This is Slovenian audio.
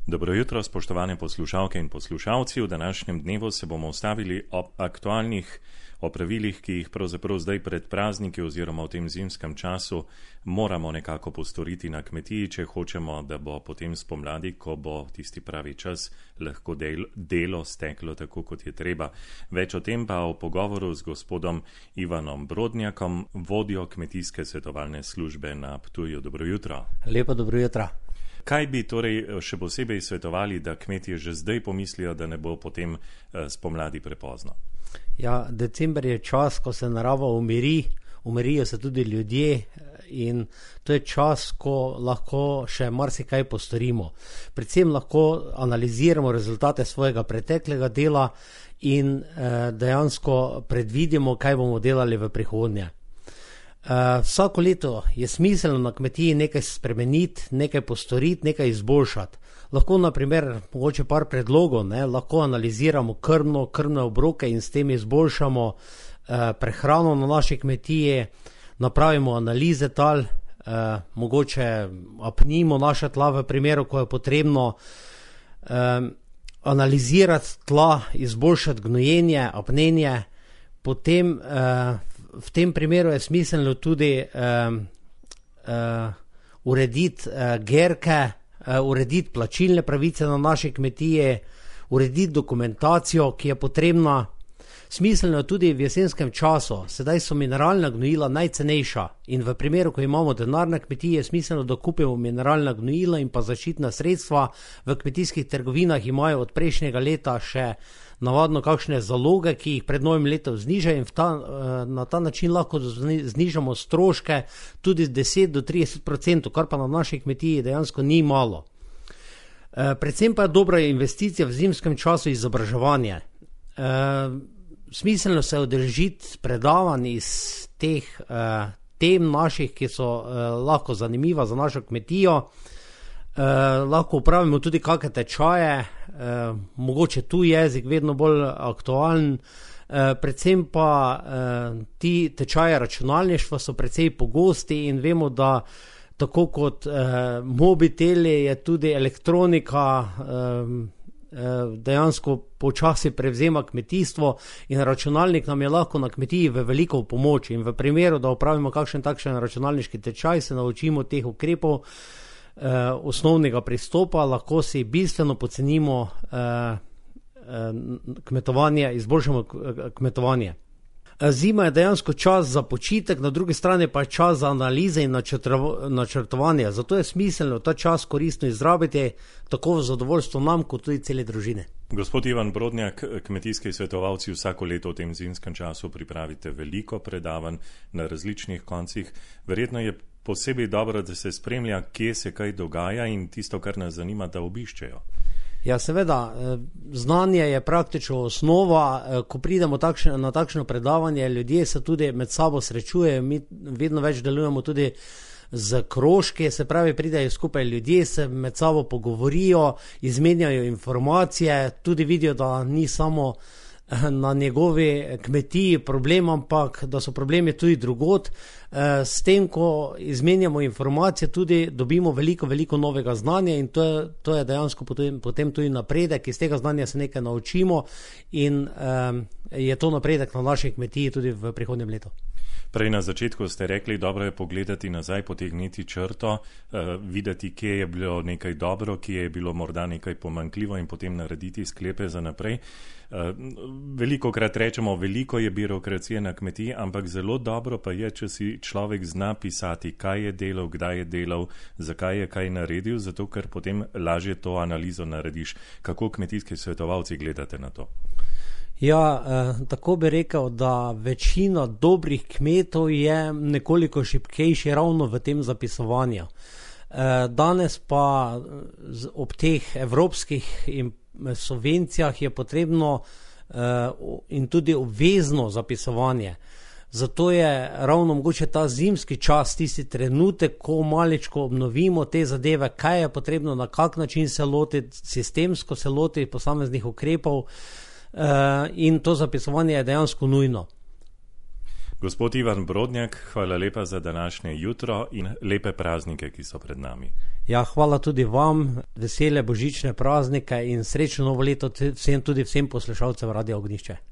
Dobro jutro, spoštovane poslušalke in poslušalci. V današnjem dnevu se bomo ustavili ob aktualnih opravilih, ki jih pravzaprav zdaj pred prazniki oziroma v tem zimskem času moramo nekako postoriti na kmetiji, če hočemo, da bo potem spomladi, ko bo tisti pravi čas, lahko delo steklo tako, kot je treba. Več o tem pa v pogovoru z gospodom Ivanom Brodnjakom, vodjo kmetijske svetovalne službe na Ptuju. Dobro jutro. Lepo dobro jutro. Kaj bi torej še posebej svetovali, da kmetje že zdaj pomislijo, da ne bo potem spomladi prepozno? Ja, december je čas, ko se narava umirijo se tudi ljudje in to je čas, ko lahko še marsikaj postorimo. Predvsem lahko analiziramo rezultate svojega preteklega dela in dejansko predvidimo, kaj bomo delali v prihodnje. Vsako leto je smiselno na kmetiji nekaj spremeniti, nekaj postoriti, nekaj izboljšati. Lahko na primer, mogoče par predlogov, lahko analiziramo krmne obroke in s tem izboljšamo prehrano na naši kmetiji, napravimo analize tal, mogoče apnimo naša tla v primeru, ko je potrebno, analizirati tla, izboljšati gnojenje, apnenje, potem v tem primeru je smiselno tudi urediti gerke, urediti plačilne pravice na naši kmetiji, urediti dokumentacijo, ki je potrebna. Smiselno je tudi v jesenskem času, sedaj so mineralna gnojila najcenejša in v primeru, ko imamo denar na kmetiji, je smiselno, da kupimo mineralna gnojila in pa zaščitna sredstva. V kmetijskih trgovinah imajo od prejšnjega leta še navadno kakšne zaloge, ki jih pred novim letom znižajo in na ta način lahko znižamo stroške tudi 10 do 30%, kar pa na naši kmetiji dejansko ni malo. Predvsem pa je dobra investicija v zimskem času izobraževanje. Smiselno se udeležiti predavanj iz teh tem naših, ki so lahko zanimiva za našo kmetijo. Lahko upravimo tudi kakšne tečaje, mogoče tuj jezik vedno bolj aktualen, predvsem pa ti tečaje računalništva so precej pogosti in vemo, da tako kot mobiteli je tudi elektronika dejansko počasi prevzema kmetijstvo in računalnik nam je lahko na kmetiji v veliko pomoč in v primeru, da upravimo kakšen takšen računalniški tečaj, se naučimo teh ukrepov, osnovnega pristopa, lahko si bistveno pocenimo kmetovanje, izboljšamo kmetovanje. Zima je dejansko čas za počitek, na drugi strani pa je čas za analize in načrtovanje, zato je smiselno ta čas koristno izrabiti, tako v zadovoljstvo nam, kot tudi cele družine. Gospod Ivan Brodnjak, kmetijski svetovalci vsako leto v tem zimskem času pripravite veliko predavanj na različnih koncih. Verjetno je posebej dobro, da se spremlja, kje se kaj dogaja in tisto, kar nas zanima, da obiščejo. Ja, seveda, znanje je praktično osnova, ko pridemo na takšno predavanje, ljudje se tudi med sabo srečujejo, mi vedno več delujemo tudi z krožki, se pravi, pridejo skupaj ljudje, se med sabo pogovorijo, izmenjajo informacije, tudi vidijo, da ni samo na njegovi kmetiji problem, ampak da so problemi tudi drugod. S tem, ko izmenjamo informacije, tudi dobimo veliko novega znanja in to je dejansko potem tudi napredek, iz tega znanja se nekaj naučimo in je to napredek na naši kmetiji tudi v prihodnjem letu. Prej na začetku ste rekli, dobro je pogledati nazaj, potegniti črto, videti, kje je bilo nekaj dobro, kje je bilo morda nekaj pomanjkljivo in potem narediti sklepe za naprej. Velikokrat rečemo, veliko je birokracije na kmetiji, ampak zelo dobro pa je, če si človek zna pisati, kaj je delal, kdaj je delal, zakaj je kaj naredil, zato ker potem lažje to analizo narediš. Kako kmetijski svetovalci gledate na to? Ja, tako bi rekel, da večina dobrih kmetov je nekoliko šibkejši ravno v tem zapisovanju. Danes pa ob teh evropskih subvencijah je potrebno in tudi obvezno zapisovanje. Zato je ravno mogoče ta zimski čas tisti trenutek, ko maličko obnovimo te zadeve, kaj je potrebno, na kak način se lotiti, sistemsko se lotiti posameznih ukrepov, in to zapisovanje je dejansko nujno. Gospod Ivan Brodnjak, hvala lepa za današnje jutro in lepe praznike, ki so pred nami. Ja, hvala tudi vam, vesele božične praznike in srečno novo leto vsem, tudi vsem poslušalcem Radia Ognjišče.